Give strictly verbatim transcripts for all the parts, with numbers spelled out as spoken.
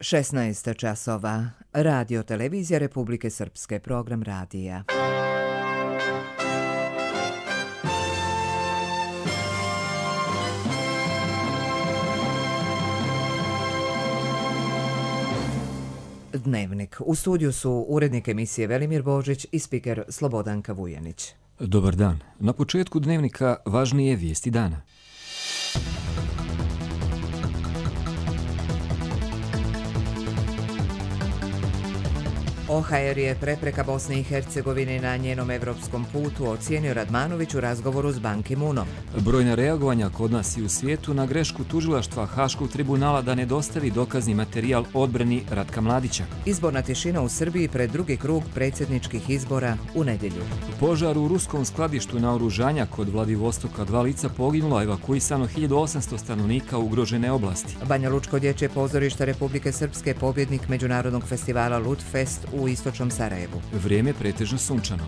šesnaest časova. Radio Televizija Republike Srpske, program radija. Dnevnik. U studiju su urednik emisije Velimir Božić i spiker Slobodanka Vujanić. Dobar dan. Na početku Dnevnika važnije vijesti dana. O H R je prepreka Bosne i Hercegovine na njenom evropskom putu, ocijenio Radmanović u razgovoru s Ban Ki-moonom. Brojna reagovanja kod nas i u svijetu na grešku tužilaštva Haškog tribunala da ne dostavi dokazni materijal odbrani Ratka Mladića. Izborna tišina u Srbiji pred drugi krug predsjedničkih izbora u nedjelju. Požar u ruskom skladištu naoružanja kod Vladivostoka, dva lica poginulo, evakuisano hiljadu osamsto stanovnika ugrožene oblasti. Banja Lučko dječje pozorište Republike Srpske, pobjednik Međunarodnog festivala Ludfest u istočnom Sarajevu. Vrijeme pretežno sunčano.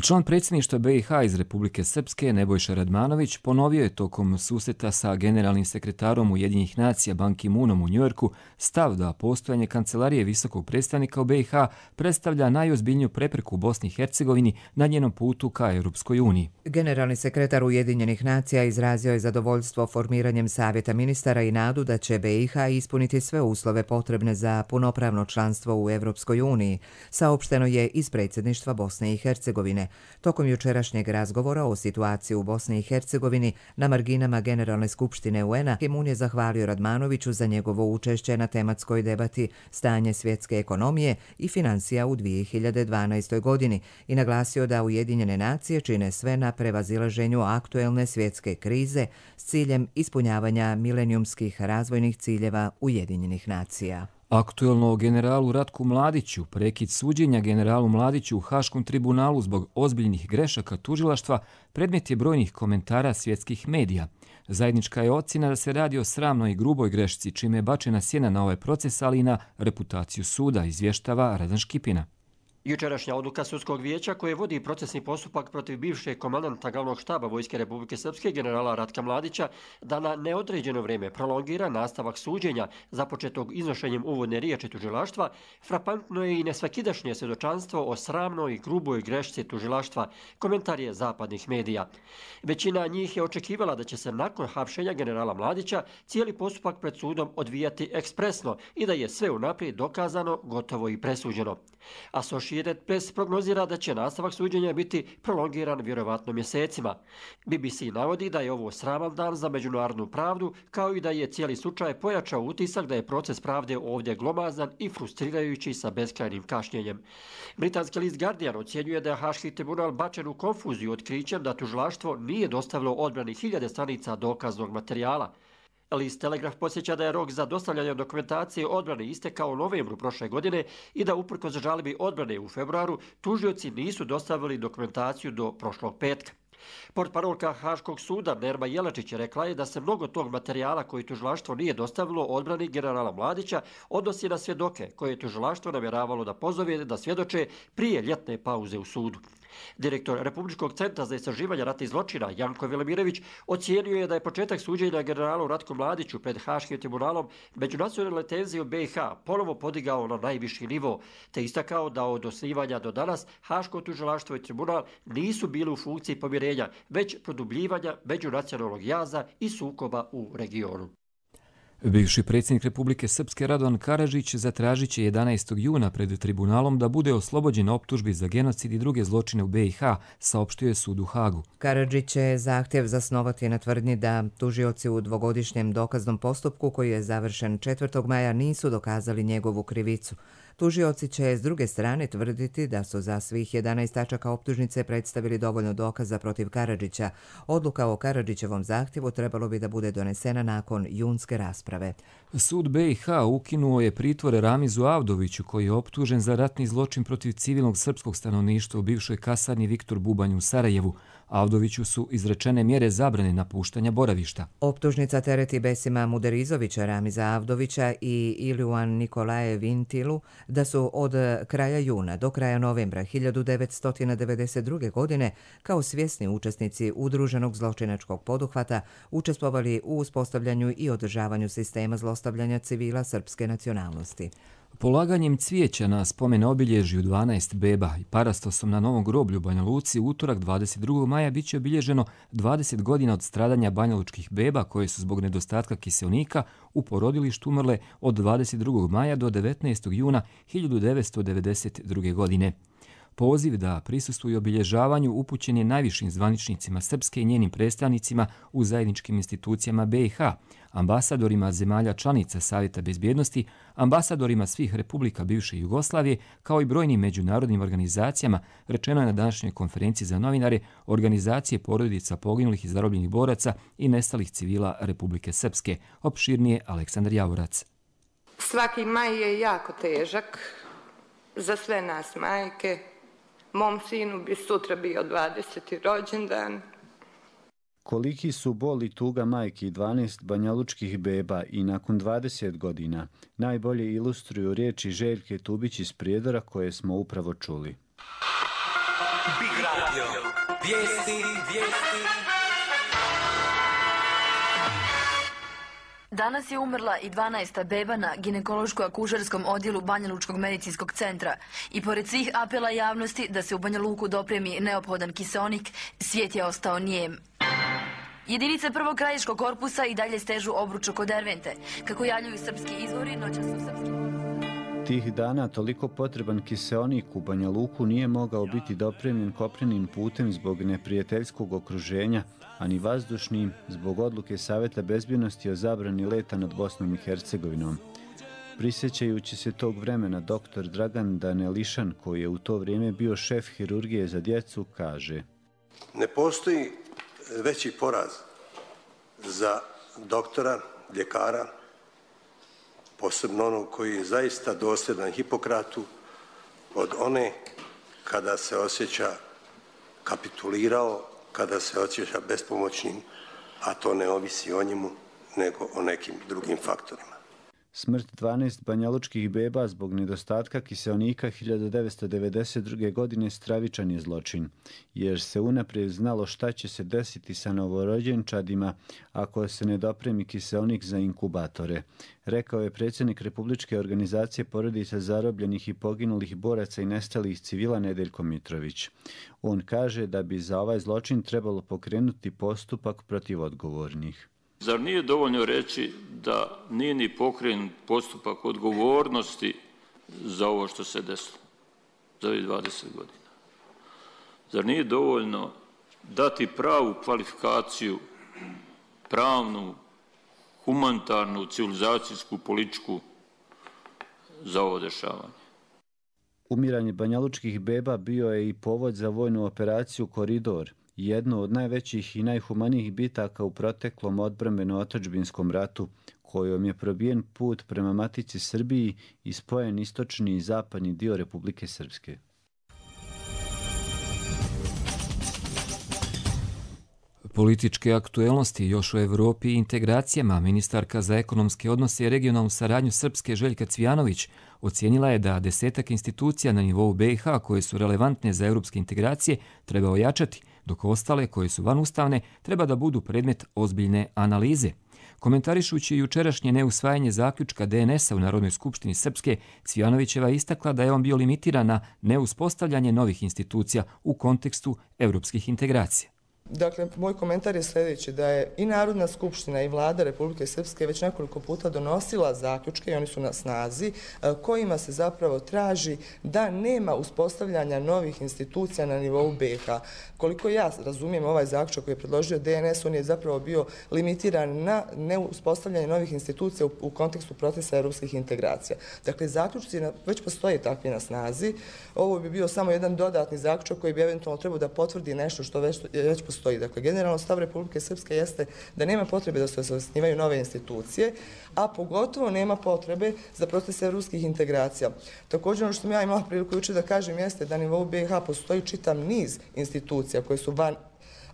Član predsjedništva B i H iz Republike Srpske Nebojša Radmanović ponovio je tokom susreta sa generalnim sekretarom Ujedinjenih nacija Ban Ki-moonom u Njujorku stav da postojanje kancelarije visokog predstavnika u B i H predstavlja najozbiljniju prepreku u Bosni i Hercegovini na njenom putu ka Europskoj uniji. Generalni sekretar Ujedinjenih nacija izrazio je zadovoljstvo formiranjem savjeta ministara i nadu da će B i H ispuniti sve uslove potrebne za punopravno članstvo u Europskoj uniji, saopšteno je iz predsjedništva Bosne i Hercegovine. Tokom jučerašnjeg razgovora o situaciji u Bosni i Hercegovini na marginama Generalne skupštine U N-a, Ki-moon je zahvalio Radmanoviću za njegovo učešće na tematskoj debati stanje svjetske ekonomije i financija u dvije hiljade dvanaestoj. godini i naglasio da Ujedinjene nacije čine sve na prevazilaženju aktuelne svjetske krize s ciljem ispunjavanja milenijumskih razvojnih ciljeva Ujedinjenih nacija. Aktuelno o generalu Ratku Mladiću, prekid suđenja generalu Mladiću u Haškom tribunalu zbog ozbiljnih grešaka tužilaštva, predmet je brojnih komentara svjetskih medija. Zajednička je ocjena da se radi o sramnoj i gruboj grešci, čime je bačena sjena na ovaj proces, ali i na reputaciju suda, izvještava Radan Škipina. Jučerašnja odluka sudskog vijeća koje vodi procesni postupak protiv bivšeg komandanta glavnog štaba Vojske Republike Srpske generala Ratka Mladića da na neodređeno vrijeme prolongira nastavak suđenja započetog iznošenjem uvodne riječi tužilaštva, frapantno je i nesvakidašnje svjedočanstvo o sramnoj i gruboj grešci tužilaštva, komentar je zapadnih medija. Većina njih je očekivala da će se nakon hapšenja generala Mladića cijeli postupak pred sudom odvijati ekspresno i da je sve unaprijed dokazano, gotovo i presuđeno. Associated Press prognozira da će nastavak suđenja biti prolongiran vjerovatno mjesecima. B B C navodi da je ovo sraman dan za međunarodnu pravdu, kao i da je cijeli slučaj pojačao utisak da je proces pravde ovdje glomazan i frustrirajući sa beskrajnim kašnjenjem. Britanski list Guardian ocjenjuje da je Haški tribunal bačen u konfuziju otkrićem da tužilaštvo nije dostavilo odbrani hiljade stranica dokaznog materijala. List Telegraf podsjeća da je rok za dostavljanje dokumentacije odbrane istekao u novembru prošle godine i da uprkos žalbi odbrane u februaru tužioci nisu dostavili dokumentaciju do prošlog petka. Portparolka Haškog suda Nerma Jelačić rekla je da se mnogo tog materijala koji tužilaštvo nije dostavilo odbrani generala Mladića odnosi na svjedoke koje je tužilaštvo namjeravalo da pozove da svjedoče prije ljetne pauze u sudu. Direktor Republičkog centra za istraživanje ratnih zločina Janko Velimirović ocijenio je da je početak suđenja generalu Ratku Mladiću pred Haškim tribunalom međunacionalne tenzije u B i H ponovo podigao na najviši nivo, te istakao da od osnivanja do danas Haško tužilaštvo i tribunal nisu bili u funkciji pomirenja, već produbljivanja međunacionalnog jaza i sukoba u regionu. Bivši predsjednik Republike Srpske Radovan Karadžić zatražit će jedanaestog juna pred tribunalom da bude oslobođen optužbi za genocid i druge zločine u B i H, saopštio je sud u Hagu. Karadžić će zahtjev zasnovati na tvrdnji da tužioci u dvogodišnjem dokaznom postupku koji je završen četvrtog maja nisu dokazali njegovu krivicu. Tužioci će s druge strane tvrditi da su za svih jedanaest tačaka optužnice predstavili dovoljno dokaza protiv Karadžića. Odluka o Karadžićevom zahtjevu trebalo bi da bude donesena nakon junske rasprave. Sud B i H ukinuo je pritvore Ramizu Avdoviću koji je optužen za ratni zločin protiv civilnog srpskog stanovništva u bivšoj kasarni Viktor Bubanj u Sarajevu. Avdoviću su izrečene mjere zabrane napuštanja boravišta. Optužnica tereti Besima Muderizovića, Ramiza Avdovića i Iliuan Nikolaje Vintilu da su od kraja juna do kraja novembra hiljadu devetsto devedeset druge. godine kao svjesni učesnici udruženog zločinačkog poduhvata učestvovali u uspostavljanju i održavanju sistema zlostavljanja civila srpske nacionalnosti. Polaganjem cvijeća na spomen obilježju dvanaest beba i parastosom na Novom groblju u Banja Luci u utorak dvadeset drugog maja biće obilježeno dvadeset godina od stradanja banjalučkih beba koje su zbog nedostatka kiseonika u porodilištu umrle od dvadeset drugog maja do devetnaestog juna hiljadu devetsto devedeset druge. godine. Poziv da prisustvuju obilježavanju upućen je najvišim zvaničnicima Srpske i njenim predstavnicima u zajedničkim institucijama B i H, ambasadorima zemalja članica Savjeta bezbjednosti, ambasadorima svih republika bivše Jugoslavije, kao i brojnim međunarodnim organizacijama, rečeno je na današnjoj konferenciji za novinare organizacije porodica poginulih i zarobljenih boraca i nestalih civila Republike Srpske. Opširnije Aleksandar Javorac. Svaki maj je jako težak za sve nas majke. Mom sinu bi sutra bio dvadeseti rođendan. Koliki su bol i tuga majki dvanaest banjalučkih beba i nakon dvadeset godina najbolje ilustruju riječi Željke Tubić iz Prijedora koje smo upravo čuli. Big Radio, vijesti, vijesti. Danas je umrla i dvanaesta beba na ginekološko-akušerskom odjelu Banjalučkog medicinskog centra i pored svih apela javnosti da se u Banja Luku dopremi neophodan kiseonik, svijet je ostao nijem. Jedinice prvog krajiškog korpusa i dalje stežu obruč oko Dervente. Kako javljaju srpski izvori, noćas su srpski... Tih dana toliko potreban kiseonik u Banja Luku nije mogao biti dopremljen kopnenim putem zbog neprijateljskog okruženja, a ni vazdušnim zbog odluke Savjeta bezbjednosti o zabrani leta nad Bosnom i Hercegovinom. Prisjećajući se tog vremena, doktor Dragan Danelišan, koji je u to vrijeme bio šef hirurgije za djecu, kaže: Ne postoji veći poraz za doktora, ljekara, posebno onog koji je zaista dosljedan Hipokratu, od one kada se osjeća kapitulirao, kada se osjeća bespomoćnim, a to ne ovisi o njemu, nego o nekim drugim faktorima. Smrt dvanaest banjalučkih beba zbog nedostatka kiseonika hiljadu devetsto devedeset druge. godine stravičan je zločin, jer se unaprijed znalo šta će se desiti sa novorođenčadima ako se ne dopremi kiseonik za inkubatore, rekao je predsjednik Republičke organizacije porodica zarobljenih i poginulih boraca i nestalih civila Nedeljko Mitrović. On kaže da bi za ovaj zločin trebalo pokrenuti postupak protiv odgovornih. Zar nije dovoljno reći da nije ni pokrenut postupak odgovornosti za ovo što se desilo, za ovih dvadeset godina? Zar nije dovoljno dati pravu kvalifikaciju, pravnu, humanitarnu, civilizacijsku, političku za ovo dešavanje? Umiranje banjalučkih beba bio je i povod za vojnu operaciju Koridor, jedno od najvećih i najhumanijih bitaka u proteklom odbrambeno-otadžbinskom ratu, kojom je probijen put prema matici Srbiji i spojen istočni i zapadni dio Republike Srpske. Političke aktuelnosti još u Evropi i integracijama. Ministarka za ekonomske odnose i regionalnu saradnju Srpske Željka Cvijanović ocijenila je da desetak institucija na nivou B i H koje su relevantne za evropske integracije treba ojačati, dok ostale koje su vanustavne treba da budu predmet ozbiljne analize. Komentarišući jučerašnje neusvajanje zaključka D N S-a u Narodnoj skupštini Srpske, Cvijanovićeva istakla da je on bio limitiran na neuspostavljanje novih institucija u kontekstu evropskih integracija. Dakle, moj komentar je sljedeći, da je i Narodna skupština i vlada Republike Srpske već nekoliko puta donosila zaključke i oni su na snazi, kojima se zapravo traži da nema uspostavljanja novih institucija na nivou B i H. Koliko ja razumijem ovaj zaključak koji je predložio D N S, on je zapravo bio limitiran na neuspostavljanje novih institucija u, u kontekstu procesa evropskih integracija. Dakle, zaključci već postoje takvi na snazi. Ovo bi bio samo jedan dodatni zaključak koji bi eventualno trebao da potvrdi nešto što već, već postoji. Stoji. Dakle, generalno stav Republike Srpske jeste da nema potrebe da se osnivaju nove institucije, a pogotovo nema potrebe za proces evropskih integracija. Također, ono što sam ja imala priliku juče da kažem jeste da na nivou B i H postoji čitav niz institucija koje su van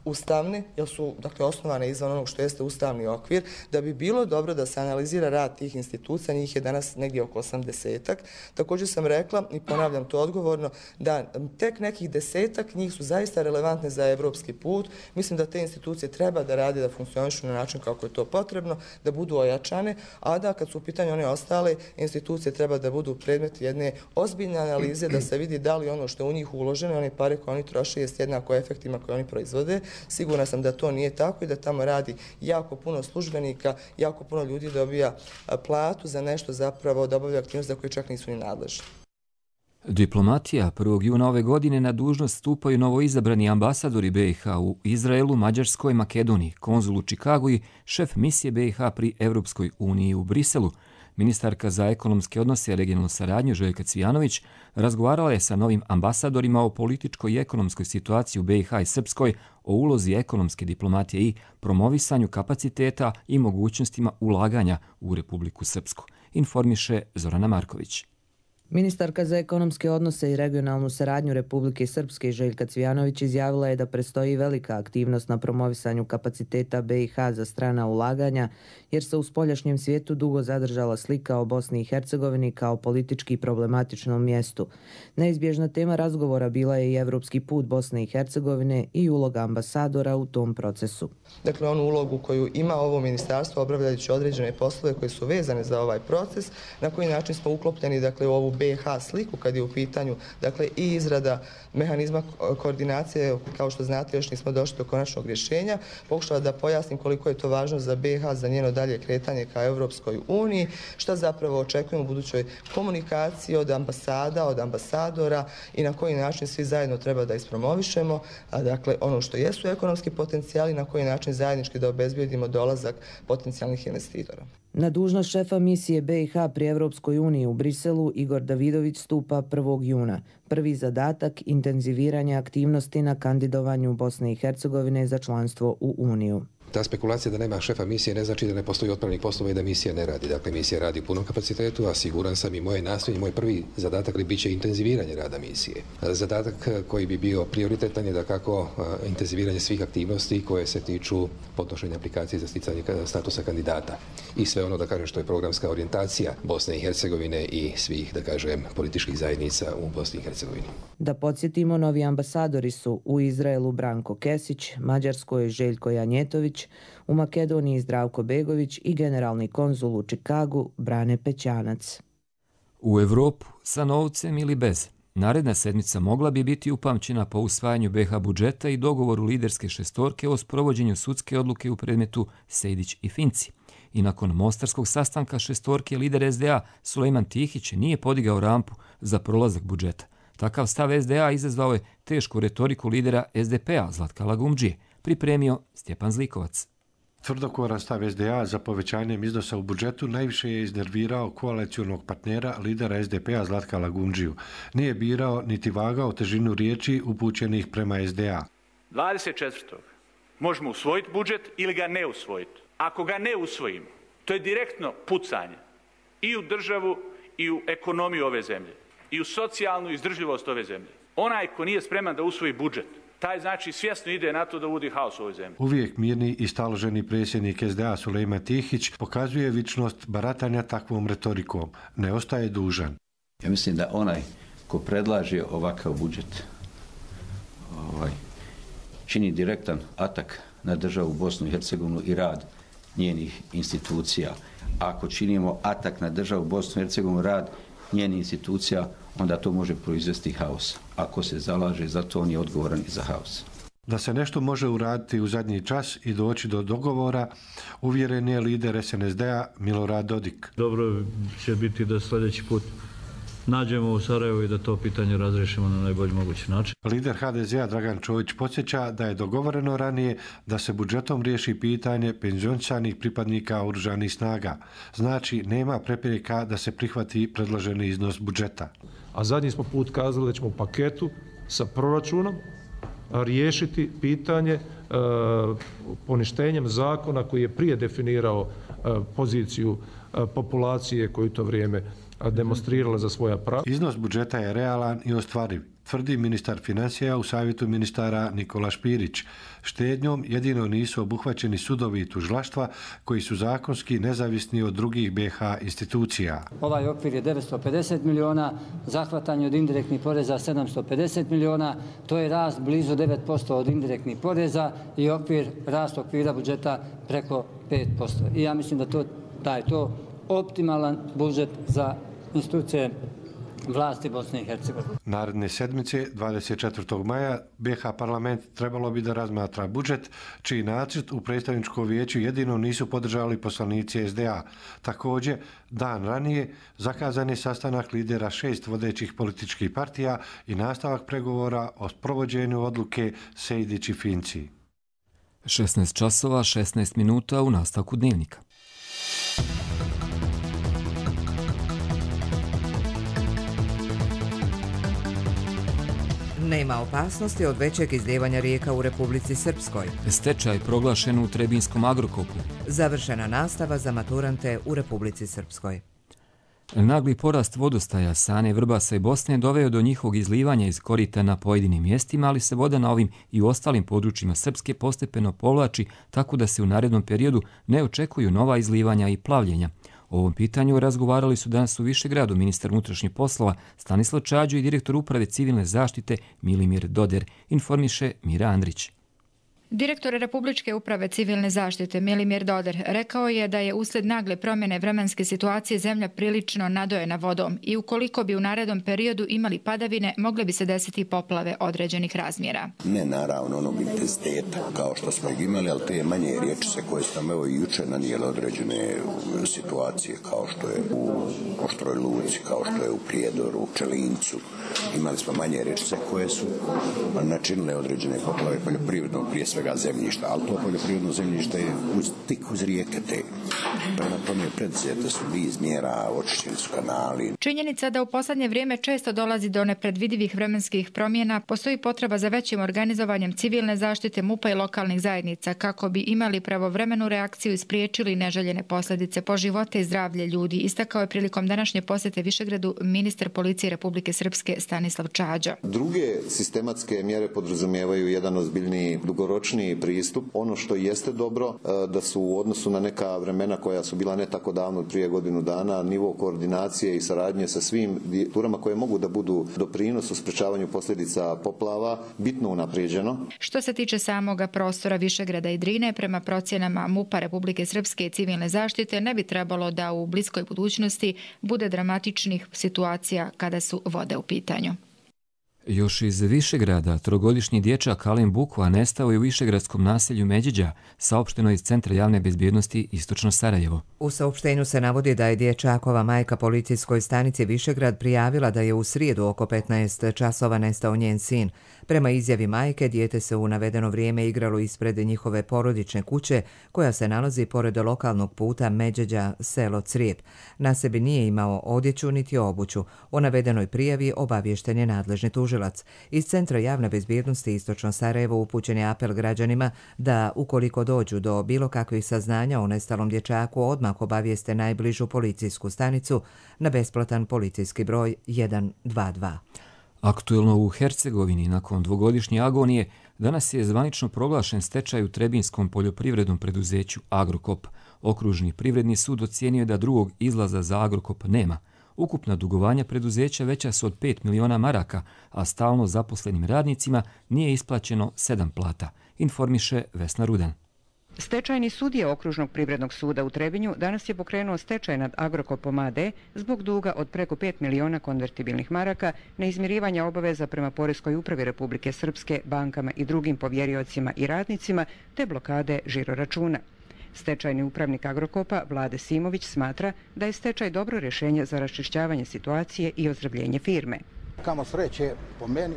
ustavne, jer su dakle, osnovane izvan onog što jeste ustavni okvir, da bi bilo dobro da se analizira rad tih institucija, njih je danas negdje oko osamdesetak. Također sam rekla i ponavljam to odgovorno, da tek nekih desetak njih su zaista relevantne za evropski put. Mislim da te institucije treba da rade, da funkcionišu na način kako je to potrebno, da budu ojačane, a da kad su u pitanju one ostale institucije treba da budu predmet jedne ozbiljne analize, da se vidi da li ono što je u njih uloženo, one pare koje oni troše jest jednako efektima koje oni proizvode. Sigurna sam da to nije tako i da tamo radi jako puno službenika, jako puno ljudi dobija platu za nešto zapravo da obavlja aktivnost za koje čak nisu ni nadležni. Diplomatija. prvog juna ove godine na dužnost stupaju novoizabrani ambasadori B i H u Izraelu, Mađarskoj, Makedoniji, konzul u Čikagu i šef misije B i H pri Evropskoj uniji u Briselu. Ministarka za ekonomske odnose i regionalnu saradnju Željka Cvijanović razgovarala je sa novim ambasadorima o političkoj i ekonomskoj situaciji u B i H i Srpskoj, o ulozi ekonomske diplomatije i promovisanju kapaciteta i mogućnostima ulaganja u Republiku Srpsku, informiše Zorana Marković. Ministarka za ekonomske odnose i regionalnu saradnju Republike Srpske Željka Cvijanović izjavila je da predstoji velika aktivnost na promovisanju kapaciteta B i H za strana ulaganja, jer se u spoljašnjem svijetu dugo zadržala slika o Bosni i Hercegovini kao politički problematičnom mjestu. Neizbježna tema razgovora bila je i evropski put Bosne i Hercegovine i uloga ambasadora u tom procesu. Dakle, onu ulogu koju ima ovo ministarstvo obavljajući određene poslove koje su vezane za ovaj proces, na koji način smo uklopljeni dakle, u ovu B i H sliku kad je u pitanju dakle, i izrada mehanizma koordinacije, kao što znate još nismo došli do konačnog rješenja, pokušala da pojasnim koliko je to važno za B i H, za njeno dalje kretanje ka Evropskoj uniji, šta zapravo očekujemo u budućoj komunikaciji od ambasada, od ambasadora i na koji način svi zajedno treba da ispromovišemo, a dakle ono što jesu ekonomski potencijali, na koji način zajednički da obezbijedimo dolazak potencijalnih investitora. Na dužnost šefa misije B i H pri Evropskoj uniji u Briselu Igor Davidović stupa prvog juna. Prvi zadatak – intenziviranje aktivnosti na kandidovanju Bosne i Hercegovine za članstvo u Uniju. Ta spekulacija da nema šefa misije ne znači da ne postoji otpravnih poslova i da misija ne radi. Dakle, misija radi u punom kapacitetu, a siguran sam i moje nastojanje, moj prvi zadatak bit će intenziviranje rada misije. Zadatak koji bi bio prioritetan je da kako intenziviranje svih aktivnosti koje se tiču podnošenja aplikacije za sticanje statusa kandidata i sve ono, da kažem, što je programska orijentacija Bosne i Hercegovine i svih, da kažem, političkih zajednica u Bosni i Hercegovini. Da podsjetimo, novi ambasadori su u Izraelu Branko Kesić, Mađarskoj Željko Janjetović, u Makedoniji Zdravko Begović i generalni konzul u Čikagu Brane Pećanac. U Evropu, sa novcem ili bez, naredna sedmica mogla bi biti upamćena po usvajanju B i H budžeta i dogovoru liderske šestorke o sprovođenju sudske odluke u predmetu Sejdić i Finci. I nakon mostarskog sastanka šestorke lider S D A Sulejman Tihić nije podigao rampu za prolazak budžeta. Takav stav S D A izazvao je tešku retoriku lidera S D P-a Zlatka Lagumdžije, pripremio Stjepan Zlikovac. Tvrdokovaran stav S D A za povećanjem iznosa u budžetu najviše je iznervirao koalicionog partnera lidera S D P-a Zlatka Lagumdžiju. Nije birao niti vagao težinu riječi upućenih prema S D A. dvadeset četvrtog možemo usvojiti budžet ili ga ne usvojiti. Ako ga ne usvojimo, to je direktno pucanje i u državu i u ekonomiju ove zemlje i u socijalnu izdržljivost ove zemlje. Onaj ko nije spreman da usvoji budžet, taj znači svjesno ide na to da uvodi haos u ovoj zemlji. Uvijek mirni i staloženi predsjednik S D A Sulejman Tihić pokazuje vičnost baratanja takvom retorikom. Ne ostaje dužan. Ja mislim da onaj ko predlaže ovakav budžet ovaj, čini direktan atak na državu Bosnu i Hercegovinu i rad njenih institucija. Ako činimo atak na državu Bosnu i Hercegovinu, rad njenih institucija, onda to može proizvesti haos. Ako se zalaže za to, on je odgovoran i za haos. Da se nešto može uraditi u zadnji čas i doći do dogovora, uvjeren je lider S N S D-a Milorad Dodik. Dobro će biti da sljedeći put nađemo u Sarajevu i da to pitanje razriješimo na najbolji mogući način. Lider H D Z-a Dragan Čović podsjeća da je dogovoreno ranije da se budžetom riješi pitanje penzionisanih pripadnika oružanih snaga. Znači, nema prepreka da se prihvati predloženi iznos budžeta. A zadnji smo put kazali da ćemo u paketu sa proračunom riješiti pitanje e, poništenjem zakona koji je prije definirao e, poziciju e, populacije koju to vrijeme demonstrirala za svoja prava. Iznos budžeta je realan i ostvariv tvrdi ministar financija u savjetu ministara Nikola Špirić. Štednjom jedino nisu obuhvaćeni sudovi i tužilaštva koji su zakonski nezavisni od drugih B iH institucija. Ovaj okvir je devetsto pedeset miliona, zahvatanje od indirektnih poreza sedamsto pedeset miliona, to je rast blizu devet posto od indirektnih poreza i okvir, rast okvira budžeta preko pet posto. I ja mislim da, to, da je to optimalan budžet za institucije vlasti Bosne i Hercegovine. Naredne sedmice, dvadeset četvrtog maja, B iH parlament trebalo bi da razmatra budžet, čiji nacrt u predstavničkom vijeću jedino nisu podržali poslanici S D A. Također, dan ranije zakazan je sastanak lidera šest vodećih političkih partija i nastavak pregovora o provođenju odluke Sejdić i Finci. šesnaest časova, šesnaest minuta u nastavku dnevnika. Nema opasnosti od većeg izlijevanja rijeka u Republici Srpskoj. Stečaj proglašen u Trebinskom Agrokopu. Završena nastava za maturante u Republici Srpskoj. Nagli porast vodostaja Sane, Vrbasa i Bosne doveo do njihovog izlivanja iz korita na pojedinim mjestima, ali se voda na ovim i ostalim područjima Srpske postepeno povlači, tako da se u narednom periodu ne očekuju nova izlivanja i plavljenja. O ovom pitanju razgovarali su danas u Višegradu ministar unutrašnjih poslova Stanislav Čađo i direktor uprave civilne zaštite Milimir Doder, informiše Mira Andrić. Direktor Republičke uprave civilne zaštite Milimir Doder rekao je da je usled nagle promjene vremenske situacije zemlja prilično nadojena vodom i ukoliko bi u narednom periodu imali padavine, mogle bi se desiti poplave određenih razmjera. Ne naravno onog intenziteta kao što smo ih imali, ali te manje riječice koje su nam evo i juče nanijele određene situacije kao što je u Oštroj Luci, kao što je u Prijedoru, u Čelincu. Imali smo manje riječice koje su načinile određene poplave poljoprivrednog prije svega zemljišta, ali to poljoprivredno zemljište je uz, tik uz rijeke te. Prema tome predzete su niz mjera, očišćeni su kanali. Činjenica da u posljednje vrijeme često dolazi do nepredvidivih vremenskih promjena, postoji potreba za većim organizovanjem civilne zaštite M U P-a i lokalnih zajednica kako bi imali pravovremenu reakciju i spriječili neželjene posljedice po živote i zdravlje ljudi, istakao je prilikom današnje posjete Višegradu ministar policije Republike Srpske Stanislav Čađo. Druge sistematske mjere podrazumijevaju jedan ozbiljniji dugoročniji pristup. Ono što jeste dobro da su u odnosu na neka vremena koja su bila ne tako davno, prije godinu dana, nivo koordinacije i saradnje sa svim turama koje mogu da budu doprinos u sprečavanju posljedica poplava bitno unaprijeđeno. Što se tiče samoga prostora Višegrada i Drine, prema procjenama M U P-a Republike Srpske i civilne zaštite ne bi trebalo da u bliskoj budućnosti bude dramatičnih situacija kada su vode u pitanju. Još iz Višegrada, trogodišnji dječak Alen Bukva nestao je u višegradskom naselju Međiđa, saopšteno iz Centra javne bezbjednosti Istočno Sarajevo. U saopštenju se navodi da je dječakova majka policijskoj stanici Višegrad prijavila da je u srijedu oko petnaest časova nestao njen sin. Prema izjavi majke, dijete se u navedeno vrijeme igralo ispred njihove porodične kuće, koja se nalazi pored lokalnog puta Međeđa, selo Crijep. Na sebi nije imao odjeću niti obuću. O navedenoj prijavi obaviješten je nadležni tužilac. Iz Centra javne bezbjednosti Istočno Sarajevo upućen je apel građanima da, ukoliko dođu do bilo kakvih saznanja o nestalom dječaku, odmah obavijeste najbližu policijsku stanicu na besplatan policijski broj jedan dva dva. Aktuelno u Hercegovini, nakon dvogodišnje agonije, danas je zvanično proglašen stečaj u Trebinskom poljoprivrednom preduzeću Agrokop. Okružni privredni sud ocijenio da drugog izlaza za Agrokop nema. Ukupna dugovanja preduzeća veća su od pet miliona maraka, a stalno zaposlenim radnicima nije isplaćeno sedam plata, informiše Vesna Rudan. Stečajni sudija Okružnog privrednog suda u Trebinju danas je pokrenuo stečaj nad Agrokopom A D zbog duga od preko pet miliona konvertibilnih maraka, neizmirivanja obaveza prema Poreskoj upravi Republike Srpske, bankama i drugim povjeriocima i radnicima, te blokade žiroračuna. Stečajni upravnik Agrokopa Vlade Simović smatra da je stečaj dobro rješenje za raščišćavanje situacije i ozdravljenje firme. Kamo sreće po meni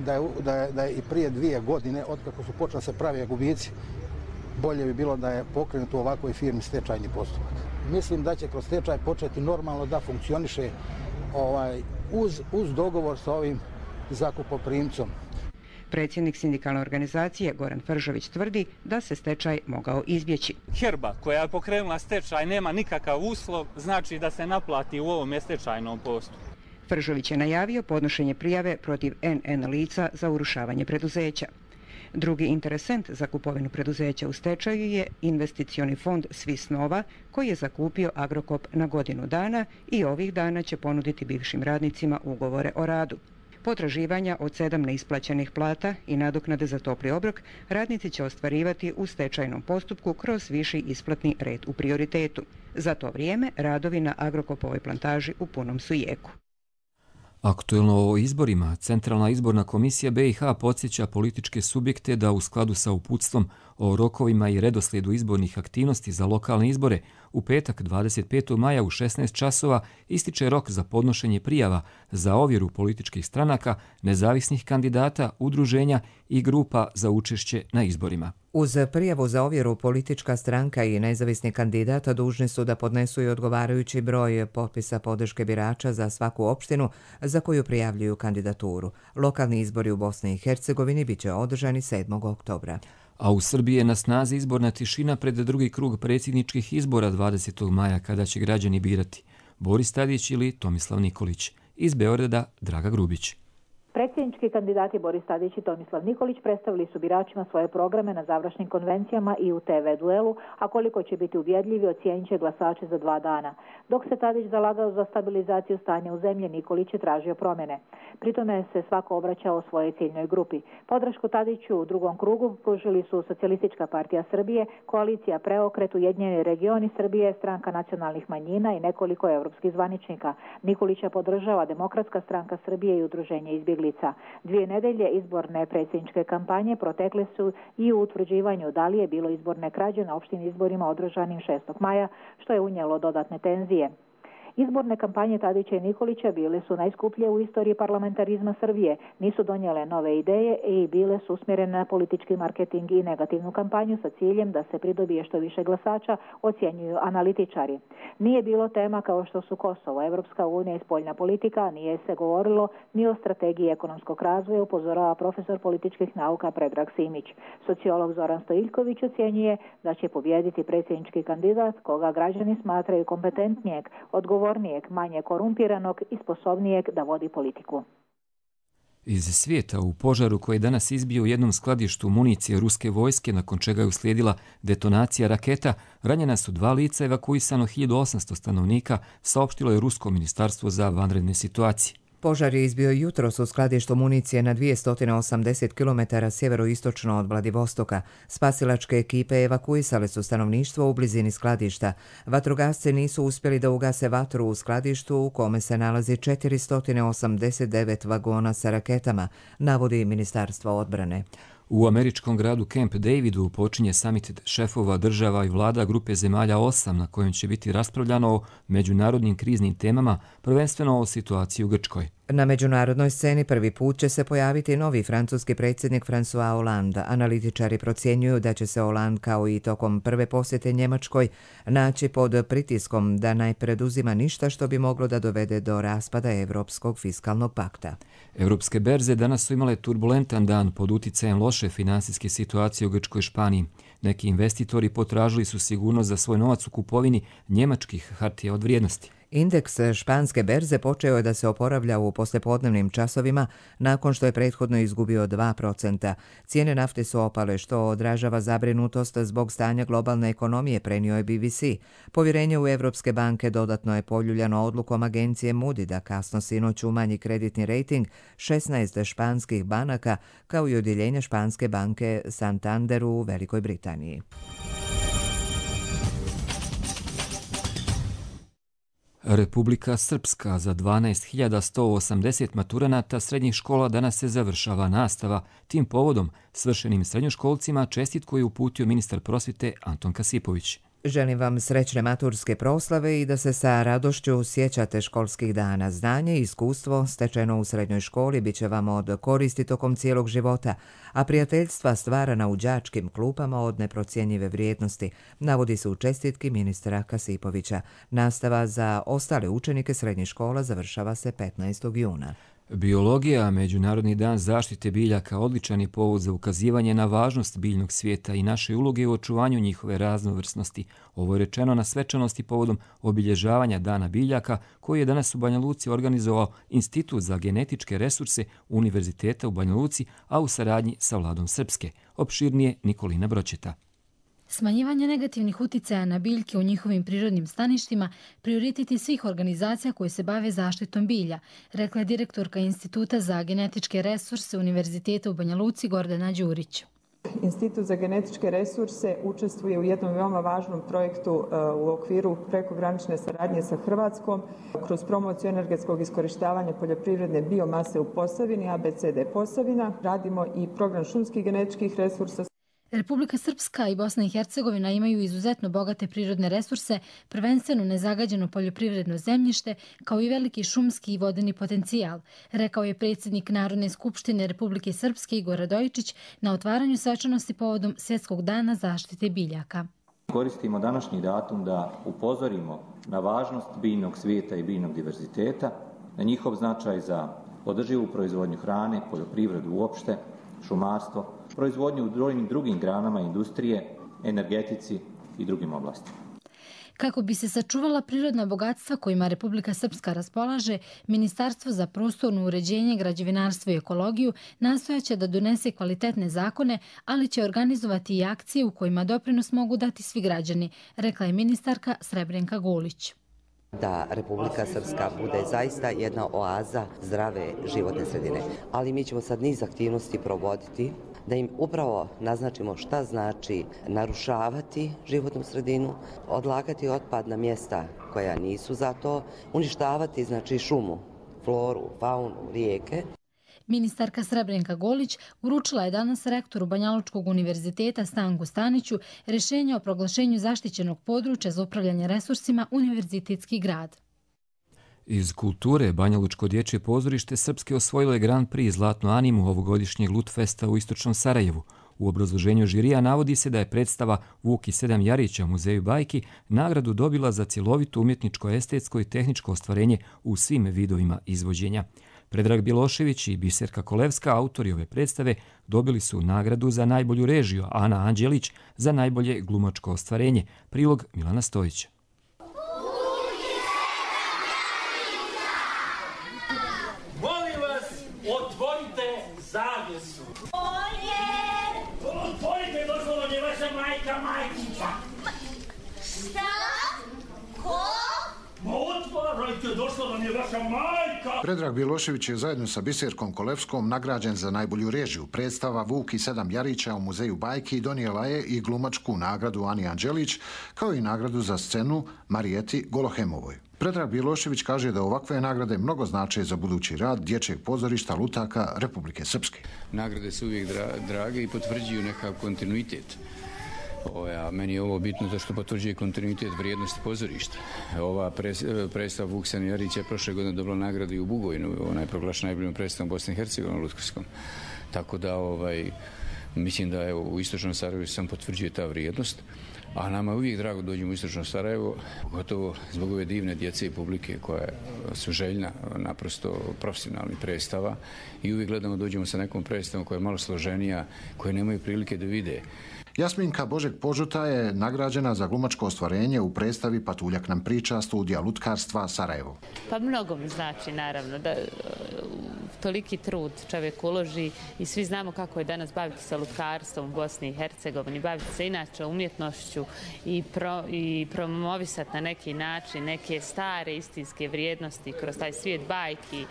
da je, da je, da je i prije dvije godine, otkako su počeli se pravi gubici, bolje bi bilo da je pokrenut u ovakvoj firmi stečajni postupak. Mislim da će kroz stečaj početi normalno da funkcioniše ovaj, uz, uz dogovor sa ovim zakupoprimcom. Predsjednik sindikalne organizacije Goran Fržović tvrdi da se stečaj mogao izbjeći. Herba koja je pokrenula stečaj nema nikakav uslov, znači da se naplati u ovom stečajnom postupku. Fržović je najavio podnošenje prijave protiv en en lica za urušavanje preduzeća. Drugi interesent za kupovinu preduzeća u stečaju je investicioni fond Swiss Nova, koji je zakupio Agrokop na godinu dana i ovih dana će ponuditi bivšim radnicima ugovore o radu. Potraživanja od sedam neisplaćenih plata i nadoknade za topli obrok radnici će ostvarivati u stečajnom postupku kroz viši isplatni red u prioritetu. Za to vrijeme radovi na Agrokopovoj plantaži u punom su jeku. Aktuelno o izborima, Centralna izborna komisija be i ha podsjeća političke subjekte da u skladu sa uputstvom o rokovima i redoslijedu izbornih aktivnosti za lokalne izbore u petak dvadeset petog maja u šesnaest časova ističe rok za podnošenje prijava za ovjeru političkih stranaka, nezavisnih kandidata, udruženja i grupa za učešće na izborima. Uz prijavu za ovjeru politička stranka i nezavisni kandidata dužni su da podnesu i odgovarajući broj potpisa podrške birača za svaku opštinu za koju prijavljuju kandidaturu. Lokalni izbori u Bosni i Hercegovini biće održani sedmog oktobra. A u Srbiji je na snazi izborna tišina pred drugi krug predsjedničkih izbora dvadesetog maja kada će građani birati Boris Tadić ili Tomislav Nikolić. Iz Beograda Draga Grubić. Predsjednički kandidati Boris Tadić i Tomislav Nikolić predstavili su biračima svoje programe na završnim konvencijama i u te ve duelu, a koliko će biti uvjedljivi ocijenit će glasače za dva dana. Dok se Tadić zalagao za stabilizaciju stanja u zemlji, Nikolić je tražio promjene. Pritome se svako obraćao svojoj ciljnoj grupi. Podršku Tadiću u drugom krugu pružili su Socijalistička partija Srbije, Koalicija Preokret, Ujedinjeni regioni Srbije, Stranka nacionalnih manjina i nekoliko evropskih zvaničnika. Nikolića podržava Demokratska stranka Srbije i Udruženje izbjeglica. Dvije nedelje izborne predsjedničke kampanje protekle su i u utvrđivanju da li je bilo izborne krađe na opštim izborima održanim šestog maja, što je unijelo dodatne tenzije. Izborne kampanje Tadića i Nikolića bile su najskuplje u istoriji parlamentarizma Srbije, nisu donijele nove ideje i bile su usmjerene na politički marketing i negativnu kampanju sa ciljem da se pridobije što više glasača, ocjenjuju analitičari. Nije bilo tema kao što su Kosovo, Evropska unija i spoljna politika, nije se govorilo ni o strategiji ekonomskog razvoja, upozorava profesor političkih nauka Predrag Simić. Sociolog Zoran Stojiljković ocjenjuje da će pobijediti predsjednički kandidat koga građani smatraju kompetentnijeg, odgovornijeg, manje korumpiranog i sposobnijeg da vodi politiku. Iz svijeta u požaru koji je danas izbio u jednom skladištu municije ruske vojske, nakon čega je uslijedila detonacija raketa, ranjena su dva lica, evakuisano hiljadu osamsto stanovnika, saopštilo je Rusko ministarstvo za vanredne situacije. Požar je izbio jutros u skladištu municije na dvjesto osamdeset kilometara sjeveroistočno od Vladivostoka. Spasilačke ekipe evakuisale su stanovništvo u blizini skladišta. Vatrogasci nisu uspjeli da ugase vatru u skladištu u kome se nalazi četiristo osamdeset devet vagona sa raketama, navodi Ministarstvo odbrane. U američkom gradu Camp Davidu počinje samit šefova država i vlada grupe zemalja osam na kojem će biti raspravljano o međunarodnim kriznim temama, prvenstveno o situaciji u Grčkoj. Na međunarodnoj sceni prvi put će se pojaviti novi francuski predsjednik François Hollande. Analitičari procjenjuju da će se Hollande, kao i tokom prve posjete Njemačkoj, naći pod pritiskom da ne preduzima ništa što bi moglo da dovede do raspada Evropskog fiskalnog pakta. Evropske berze danas su imale turbulentan dan pod uticajem loše finansijske situacije u Grčkoj i Španiji. Neki investitori potražili su sigurnost za svoj novac u kupovini njemačkih hartija od vrijednosti. Indeks španske berze počeo je da se oporavlja u poslijepodnevnim časovima nakon što je prethodno izgubio dva procenta. Cijene nafte su opale, što odražava zabrinutost zbog stanja globalne ekonomije, prenio je be be ce. Povjerenje u Evropske banke dodatno je poljuljano odlukom agencije Moody da kasno sinoć umanji kreditni rejting šesnaest španskih banaka, kao i odjeljenja španske banke Santander u Velikoj Britaniji. Republika Srpska, za dvanaest hiljada sto osamdeset maturanata srednjih škola danas se završava nastava. Tim povodom svršenim srednjoškolcima čestitku je uputio ministar prosvjete Anton Kasipović. Želim vam srećne maturske proslave i da se sa radošću sjećate školskih dana. Znanje i iskustvo stečeno u srednjoj školi bit će vam od koristi tokom cijelog života, a prijateljstva stvarana u đačkim klupama od neprocjenjive vrijednosti, navodi se u čestitki ministra Kasipovića. Nastava za ostale učenike srednjih škola završava se petnaestog juna. Biologija, Međunarodni dan zaštite biljaka, odličan je povod za ukazivanje na važnost biljnog svijeta i naše uloge u očuvanju njihove raznovrsnosti. Ovo je rečeno na svečanosti povodom obilježavanja Dana biljaka, koji je danas u Banja Luci organizovao Institut za genetičke resurse Univerziteta u Banja Luci, a u saradnji sa Vladom Srpske. Opširnije Nikolina Bročeta. Smanjivanje negativnih uticaja na biljke u njihovim prirodnim staništima prioritet je svih organizacija koje se bave zaštitom bilja, rekla je direktorka Instituta za genetičke resurse Univerziteta u Banja Luci Gordana Đurić. Institut za genetičke resurse učestvuje u jednom veoma važnom projektu u okviru prekogranične saradnje sa Hrvatskom kroz promociju energetskog iskorištavanja poljoprivredne biomase u Posavini, A B C D Posavina. Radimo i program šumskih genetičkih resursa. Republika Srpska i Bosna i Hercegovina imaju izuzetno bogate prirodne resurse, prvenstveno nezagađeno poljoprivredno zemljište, kao i veliki šumski i vodeni potencijal, rekao je predsjednik Narodne skupštine Republike Srpske Igor Radojičić na otvaranju svečanosti povodom Svjetskog dana zaštite biljaka. Koristimo današnji datum da upozorimo na važnost biljnog svijeta i biljnog diverziteta, na njihov značaj za održivu proizvodnju hrane, poljoprivredu uopšte, šumarstvo, proizvodnju u brojnim drugim granama industrije, energetici i drugim oblastima. Kako bi se sačuvala prirodna bogatstva kojima Republika Srpska raspolaže, Ministarstvo za prostorno uređenje, građevinarstvo i ekologiju nastojaće da donese kvalitetne zakone, ali će organizovati i akcije u kojima doprinos mogu dati svi građani, rekla je ministarka Srebrenka Golić. Da Republika Srpska bude zaista jedna oaza zdrave životne sredine. Ali mi ćemo sad niz aktivnosti provoditi da im upravo naznačimo šta znači narušavati životnu sredinu, odlagati otpad na mjesta koja nisu za to, uništavati znači šumu, floru, faunu, rijeke. Ministarka Srebrenka Golić uručila je danas rektoru Banjalučkog univerziteta Stanku Staniću rješenje o proglašenju zaštićenog područja za upravljanje resursima Univerzitetski grad. Iz kulture Banjalučko dječje pozorište Srpske osvojilo je Grand Prix Zlatnu animu ovogodišnjeg Lutfesta u istočnom Sarajevu. U obrazloženju žirija navodi se da je predstava Vuk i sedam jarića u muzeju bajki nagradu dobila za cjelovito umjetničko, estetsko i tehničko ostvarenje u svim vidovima izvođenja. Predrag Bjelošević i Biserka Kolevska, autori ove predstave, dobili su nagradu za najbolju režiju, a Ana Anđelić za najbolje glumačko ostvarenje. Prilog Milana Stojića. Molim vas, otvorite zavjesu. Otvorite, došlo vam je vaša majka Majkića. Šta? Ko? Ma otvarajte, došla vam je vaša majka! Predrag Bjelošević je zajedno sa Biserkom Kolevskom nagrađen za najbolju režiju. Predstava Vuk i sedam jarića u muzeju bajki donijela je i glumačku nagradu Ani Anđelić, kao i nagradu za scenu Marijeti Golohemovoj. Predrag Bjelošević kaže da ovakve nagrade mnogo znače za budući rad dječjeg pozorišta Lutaka Republike Srpske. Nagrade su uvijek drage i potvrđuju nekakav kontinuitet. A meni je ovo bitno zato što potvrđuje kontinuitet vrijednosti pozorišta. Ova predstava Vuk sedam jarića je prošle godine dobila nagradu i u Bugojnu. Ona je proglašena najboljom predstavom Bosne i Hercegovine u Lutkarskom. Tako da ovaj, mislim da evo, u istočnom Sarajevu sam potvrđuje ta vrijednost. A nama je uvijek drago dođemo u istočno Sarajevo, gotovo zbog ove divne djece i publike koja su željna naprosto profesionalnih predstava i uvijek gledamo dođemo sa nekom predstavom koja je malo složenija, koje nemaju prilike da vide. Jasminka Božek Požuta je nagrađena za glumačko ostvarenje u predstavi Patuljak nam priča studija lutkarstva Sarajevo. Pa mnogo mi znači naravno da toliki trud čovjek uloži i svi znamo kako je danas baviti se lutkarstvom u Bosni i Hercegovini, baviti se inače umjetnošću i, pro, i promovisati na neki način neke stare istinske vrijednosti kroz taj svijet bajki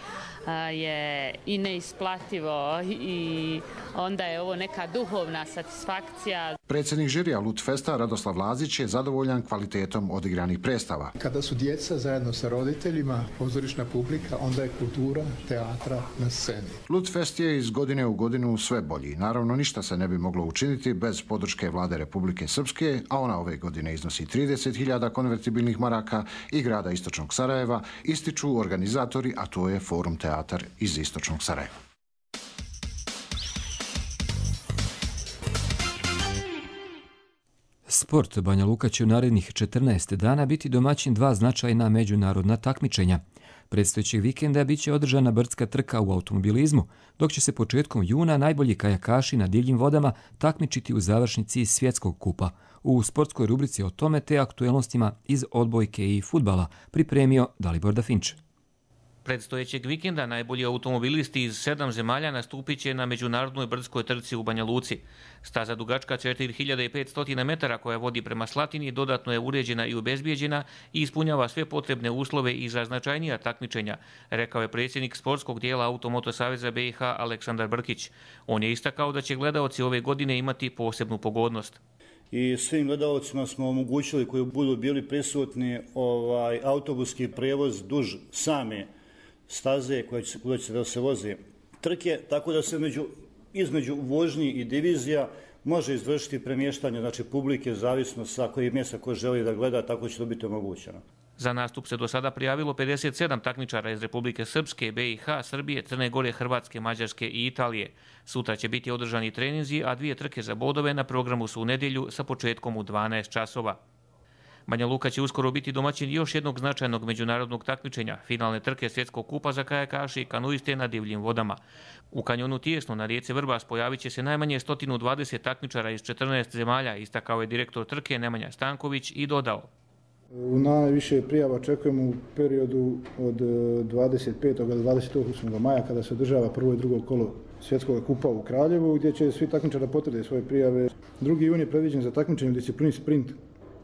je i neisplativo i onda je ovo neka duhovna satisfakcija. Predsjednik žirija Lutfesta Radoslav Lazić je zadovoljan kvalitetom odigranih predstava. Kada su djeca zajedno sa roditeljima, pozorišna publika, onda je kultura teatra na sceni. Lutfest je iz godine u godinu sve bolji. Naravno, ništa se ne bi moglo učiniti bez podrške vlade Republike Srpske, a ona ove godine iznosi trideset hiljada konvertibilnih maraka i grada Istočnog Sarajeva, ističu organizatori, a to je Forum teatar iz Istočnog Sarajeva. Sport Banja Luka će u narednih četrnaest dana biti domaćin dva značajna međunarodna takmičenja. Predstojećeg vikenda bit će održana brdska trka u automobilizmu, dok će se početkom juna najbolji kajakaši na divljim vodama takmičiti u završnici svjetskog kupa. U sportskoj rubrici o tome te aktuelnostima iz odbojke i fudbala pripremio Dalibor Dafinč. Predstojećeg vikenda najbolji automobilisti iz sedam zemalja nastupit će na međunarodnoj brdskoj trci u Banja Luci. Staza dugačka četiri hiljade petsto metara koja vodi prema Slatini dodatno je uređena i obezbijeđena i ispunjava sve potrebne uslove i za značajnija takmičenja, rekao je predsjednik sportskog dijela Automoto Saveza B i H Aleksandar Brkić. On je istakao da će gledaoci ove godine imati posebnu pogodnost. I svim gledalcima smo omogućili koji budu bili prisutni ovaj autobuski prevoz duž same staze koja će, koja će da se voze trke, tako da se među, između vožnji i divizija može izvršiti premještanje, znači publike, zavisno sa kojih mjesta ko želi da gleda, tako će to biti omogućeno. Za nastup se do sada prijavilo pedeset sedam takmičara iz Republike Srpske, B i H, Srbije, Crne Gore, Hrvatske, Mađarske i Italije. Sutra će biti održani treninzi, a dvije trke za bodove na programu su u nedjelju sa početkom u dvanaest časova. Banja Luka će uskoro biti domaćin još jednog značajnog međunarodnog takmičenja, finalne trke svjetskog kupa za kajakaše i kanuiste na divljim vodama. U kanjonu Tijesno na rijeci Vrbas pojavit će se najmanje sto dvadeset takmičara iz četrnaest zemalja, istakao je direktor trke Nemanja Stanković i dodao. U najviše prijava očekujemo u periodu od dvadeset petog do dvadeset osmog maja kada se održava prvo i drugo kolo svjetskog kupa u Kraljevu, gdje će svi takmičari potvrde svoje prijave. drugi jun je predviđen za takmičenje u disciplini sprint.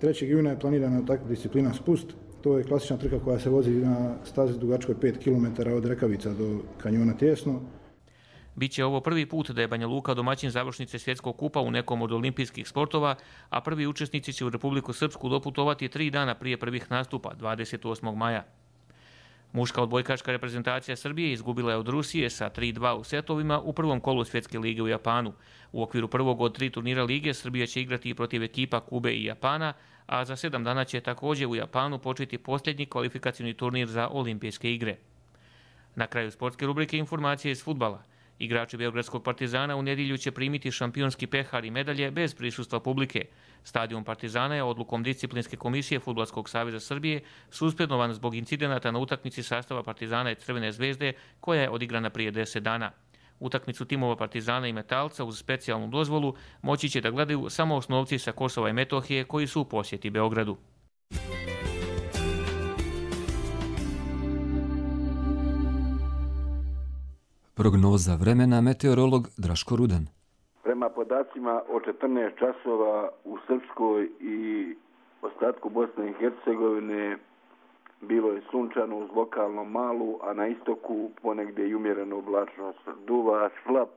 trećeg juna je planirana takva disciplina spust. To je klasična trka koja se vozi na stazi dugačkoj pet kilometara od Rekavica do kanjona Tijesno. Biće ovo prvi put da je Banja Luka domaćin završnice svjetskog kupa u nekom od olimpijskih sportova, a prvi učesnici će u Republiku Srpsku doputovati tri dana prije prvih nastupa, dvadeset osmog maja. Muška odbojkaška reprezentacija Srbije izgubila je od Rusije sa tri dva u setovima u prvom kolu Svjetske lige u Japanu. U okviru prvog od tri turnira lige Srbija će igrati i protiv ekipa Kube i Japana, a za sedam dana će također u Japanu početi posljednji kvalifikacioni turnir za olimpijske igre. Na kraju sportske rubrike informacije iz fudbala. Igrači Beogradskog Partizana u nedjelju će primiti šampionski pehar i medalje bez prisustva publike. Stadion Partizana je odlukom disciplinske komisije Fudbalskog saveza Srbije suspendovan zbog incidenata na utakmici sastava Partizana i Crvene zvezde koja je odigrana prije deset dana. Utakmicu timova Partizana i Metalca uz specijalnu dozvolu moći će da gledaju samo osnovci sa Kosova i Metohije koji su u posjeti Beogradu. Prognoza vremena meteorolog Draško Rudan. Prema podacima o četrnaest časova u Srpskoj i ostatku Bosne i Hercegovine bilo je sunčano uz lokalno malu, a na istoku ponegdje i umjereno oblačnost. Duva slab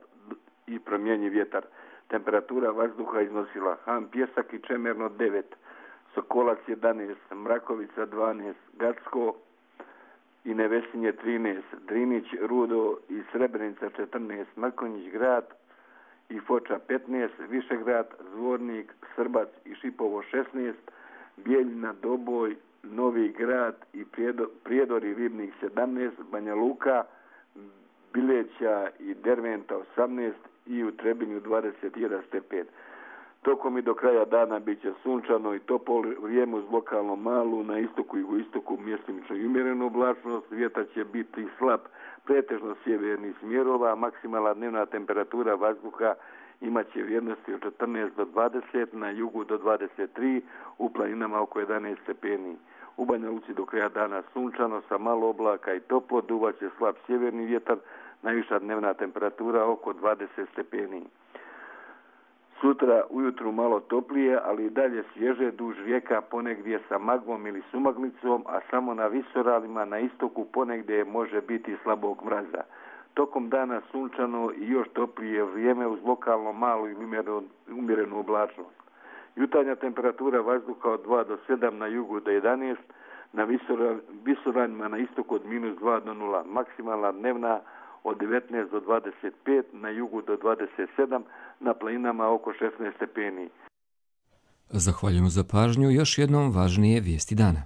i promjenjiv vjetar. Temperatura vazduha iznosila Han Pjesak i Čemerno devet, Sokolac jedanaest, Mrakovica dvanaest, Gacko i Nevesinje trinaest, Drinić, Rudo i Srebrenica četrnaest, Mrkonjić grad i Foča petnaest, Višegrad, Zvornik, Srbac i Šipovo šesnaest, Bijeljina, Doboj, Novi grad i Prijedor i Ribnik sedamnaest, Banja Luka, Bileća i Derventa osamnaest i u Trebinju dvadeset jedan stepen. Tokom i do kraja dana bit će sunčano i toplo vrijeme uz lokalno malu, na istoku i jugoistoku mjestimično i umjerenu oblačnost, vjetar će biti slab, pretežno sjevernih smjerova, maksimalna dnevna temperatura vazduha imat će vrijednosti od četrnaest do dvadeset, na jugu do dvadeset tri, u planinama oko jedanaest stepeni. U Banja Luci do kraja dana sunčano sa malo oblaka i toplo, duvaće slab sjeverni vjetar, najviša dnevna temperatura oko dvadeset stepeni. Sutra ujutru malo toplije, ali i dalje svježe duž rijeka ponegdje sa magmom ili sumaglicom, a samo na visoralima na istoku ponegdje može biti slabog mraza. Tokom dana sunčano i još toplije vrijeme uz lokalno malu i umjerenu oblačnost. Jutarnja temperatura vazduha od dva do sedam, na jugu do jedanaest, na visoranjima na istoku od minus dva do nula. Maksimalna dnevna od devetnaest do dvadeset pet, na jugu do dvadeset sedam, na planinama oko šesnaest stepeni. Zahvaljujem za pažnju. Još jednom važnije vijesti dana.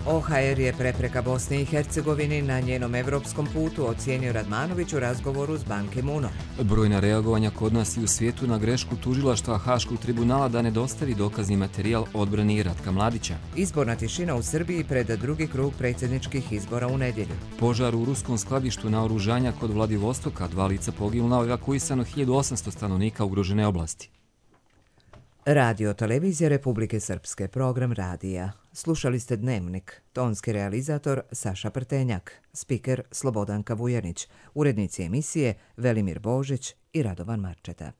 O H R je prepreka Bosni i Hercegovini na njenom evropskom putu, ocijenio Radmanović u razgovoru s Ban Ki-moonom. Brojna reagovanja kod nas i u svijetu na grešku tužilaštva Haškog tribunala da ne dostavi dokazni materijal odbrani Ratka Mladića. Izborna tišina u Srbiji pred drugi krug predsjedničkih izbora u nedjelju. Požar u ruskom skladištu naoružanja kod Vladivostoka, dva lica poginula, evakuisano hiljadu osamsto stanovnika ugrožene oblasti. Radio televizija Republike Srpske, program radija. Slušali ste Dnevnik, tonski realizator Saša Prtenjak, spiker Slobodanka Vujanić, urednici emisije Velimir Božić i Radovan Marčeta.